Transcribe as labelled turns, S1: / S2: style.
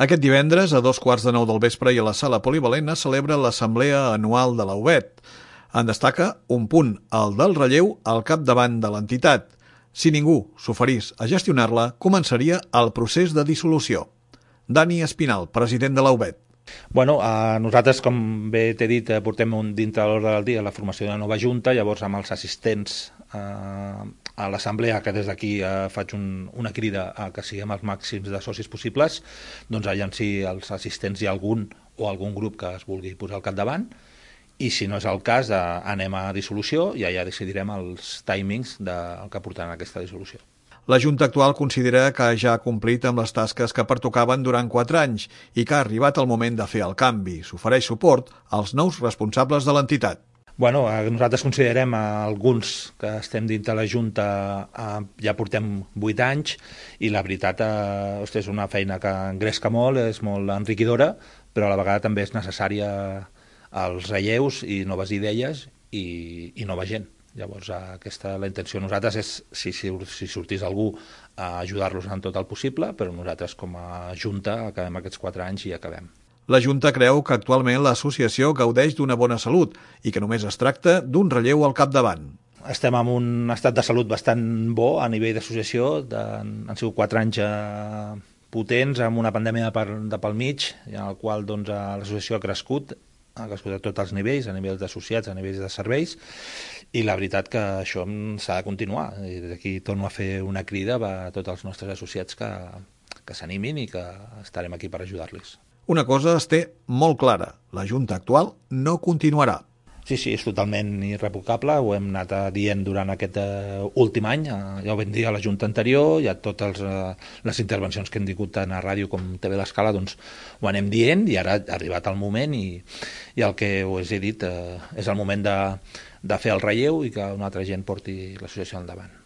S1: Aquest divendres, a 2:15 del vespre i a la sala polivalent, es celebra l'assemblea anual de la UBET. En destaca un punt, el del relleu al capdavant de l'entitat. Si ningú s'oferís a gestionar-la, començaria el procés de dissolució. Dani Espinal, president de la UBET.
S2: Nosaltres, com bé t'he dit, portem dintre de l'ordre del dia la formació de la nova junta, llavors amb els assistents a l'assemblea, que des d'aquí faig una crida a que siguem els màxims de socis possibles, doncs allà si els assistents hi ha algun grup que es vulgui posar al capdavant, i si no és el cas anem a dissolució i allà decidirem els timings del que portaran aquesta dissolució.
S1: La Junta actual considera que ja ha complit amb les tasques que pertocaven durant 4 anys i que ha arribat el moment de fer el canvi. S'ofereix suport als nous responsables de l'entitat.
S2: Nosaltres considerem alguns que estem dintre la Junta ja portem 8 anys i la veritat és una feina que engresca molt, és molt enriquidora, però a la vegada també és necessària els relleus i noves idees i nova gent. Llavors, la intenció de nosaltres és, si sortís algú, ajudar-los en tot el possible, però nosaltres com a Junta acabem aquests 4 anys i acabem.
S1: La Junta creu que actualment l'associació gaudeix d'una bona salut i que només es tracta d'un relleu al capdavant.
S2: Estem en un estat de salut bastant bo a nivell d'associació, han sigut 4 anys potents, amb una pandèmia de pel mig, en el qual l'associació ha crescut a tots els nivells, a nivells d'associats, a nivells de serveis, i la veritat que això s'ha de continuar. I d'aquí torno a fer una crida a tots els nostres associats que s'animin i que estarem aquí per ajudar-los.
S1: Una cosa es té molt clara, la Junta actual no continuarà.
S2: Sí, és totalment irrevocable, ho hem anat dient durant aquest últim any, ja ho vam dir a la Junta anterior, ja totes les intervencions que hem tingut tant a ràdio com TV l'Escala, doncs ho anem dient i ara ha arribat el moment i el que us he dit és el moment de fer el relleu i que una altra gent porti l'associació endavant.